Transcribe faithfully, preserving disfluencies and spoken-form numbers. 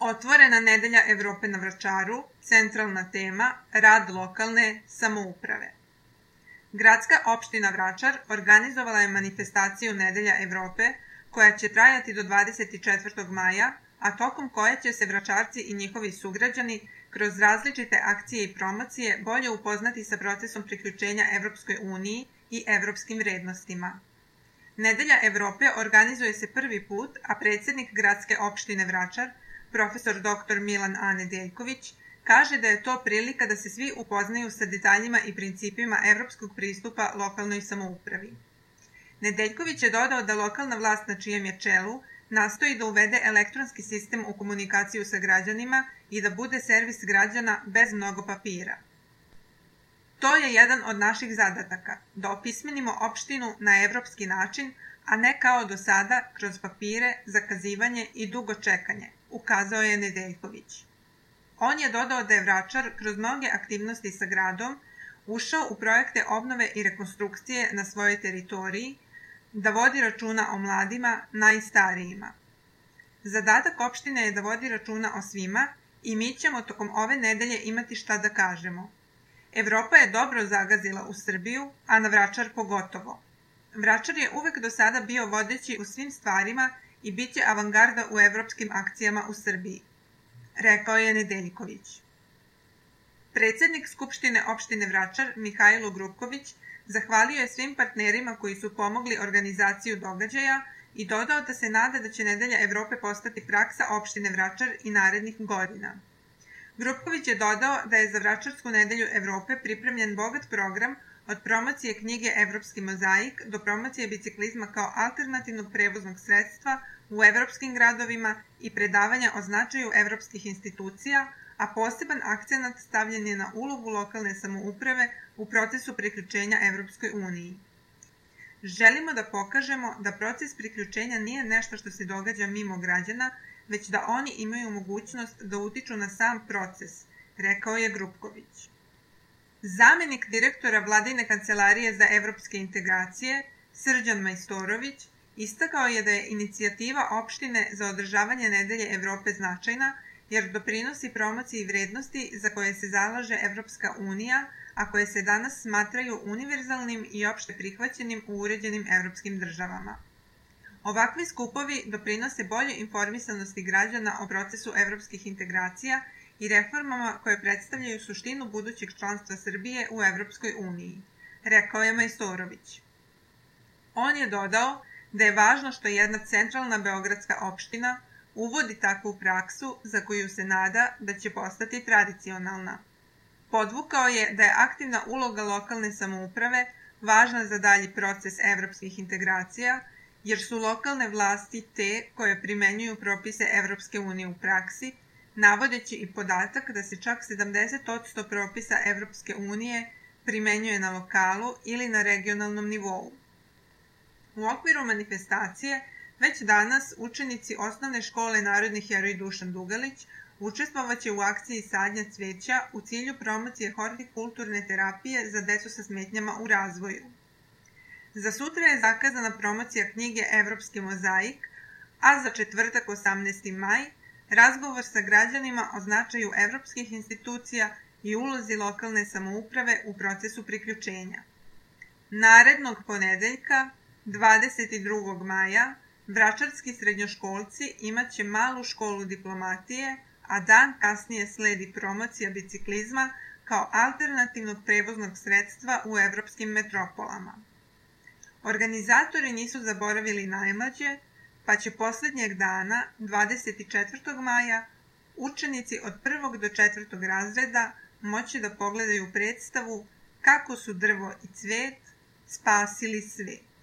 Otvorena nedelja Evrope na Vračaru, centralna tema, rad lokalne samouprave. Gradska opština Vračar organizovala je manifestaciju Nedelja Evrope, koja će trajati do dvadeset četvrtog maja, a tokom koje će se Vračarci i njihovi sugrađani kroz različite akcije i promocije bolje upoznati sa procesom priključenja Evropskoj uniji i evropskim vrednostima. Nedelja Evrope organizuje se prvi put, a predsjednik Gradske opštine Vračar, profesor doktor Milan A. Nedeljković, kaže da je to prilika da se svi upoznaju sa detaljima i principima evropskog pristupa lokalnoj samoupravi. Nedeljković je dodao da lokalna vlast na čijem je čelu nastoji da uvede elektronski sistem u komunikaciju sa građanima i da bude servis građana bez mnogo papira. To je jedan od naših zadataka, da opismenimo opštinu na evropski način, a ne kao do sada kroz papire, zakazivanje i dugo čekanje, ukazao je Nedeljković. On je dodao da je Vračar kroz mnoge aktivnosti sa gradom ušao u projekte obnove i rekonstrukcije na svojoj teritoriji, da vodi računa o mladima, najstarijima. Zadatak opštine je da vodi računa o svima i mi ćemo tokom ove nedelje imati šta da kažemo. Evropa je dobro zagazila u Srbiju, a na Vračar pogotovo. Vračar je uvek do sada bio vodeći u svim stvarima i bit će avangarda u evropskim akcijama u Srbiji, rekao je Nedeljković. Predsjednik Skupštine opštine Vračar, Mihajlo Grupković, zahvalio je svim partnerima koji su pomogli organizaciju događaja i dodao da se nada da će Nedelja Evrope postati praksa opštine Vračar i narednih godina. Grupković je dodao da je za Vračarsku nedelju Evrope pripremljen bogat program od promocije knjige Evropski mozaik do promocije biciklizma kao alternativnog prevoznog sredstva u evropskim gradovima i predavanja o značaju evropskih institucija, a poseban akcenat stavljen je na ulogu lokalne samouprave u procesu priključenja Evropskoj uniji. Želimo da pokažemo da proces priključenja nije nešto što se događa mimo građana, već da oni imaju mogućnost da utiču na sam proces, rekao je Grupković. Zamenik direktora Vladine kancelarije za evropske integracije, Srđan Majstorović, istakao je da je inicijativa opštine za održavanje Nedelje Evrope značajna, jer doprinosi promociji vrednosti za koje se zalaže Evropska unija, a koje se danas smatraju univerzalnim i opšte prihvaćenim u uređenim evropskim državama. Ovakvi skupovi doprinose bolje informisanosti građana o procesu evropskih integracija i reformama koje predstavljaju suštinu budućeg članstva Srbije u Evropskoj uniji, rekao je Majstorović. On je dodao da je važno što jedna centralna beogradska opština uvodi takvu praksu za koju se nada da će postati tradicionalna. Podvukao je da je aktivna uloga lokalne samouprave važna za dalji proces evropskih integracija, jer su lokalne vlasti te koje primenjuju propise Evropske unije u praksi, navodeći i podatak da se čak sedamdeset posto propisa Evropske unije primenjuje na lokalu ili na regionalnom nivou. U okviru manifestacije već danas učenici osnovne škole Narodni heroj Dušan Dugalić učestvovaće u akciji sadnja cveća u cilju promocije hortikulturne terapije za decu sa smetnjama u razvoju. Za sutra je zakazana promocija knjige Evropski mozaik, a za četvrtak osamnaesti maj razgovor sa građanima o značaju evropskih institucija i ulozi lokalne samouprave u procesu priključenja. Narednog ponedeljka, dvadeset drugog maja, vračarski srednjoškolci imaće malu školu diplomatije, a dan kasnije sledi promocija biciklizma kao alternativnog prevoznog sredstva u evropskim metropolama. Organizatori nisu zaboravili najmlađe, pa će poslednjeg dana, dvadeset četvrtog maja, učenici od prvog do četvrtog razreda moći da pogledaju predstavu Kako su drvo i cvet spasili svet.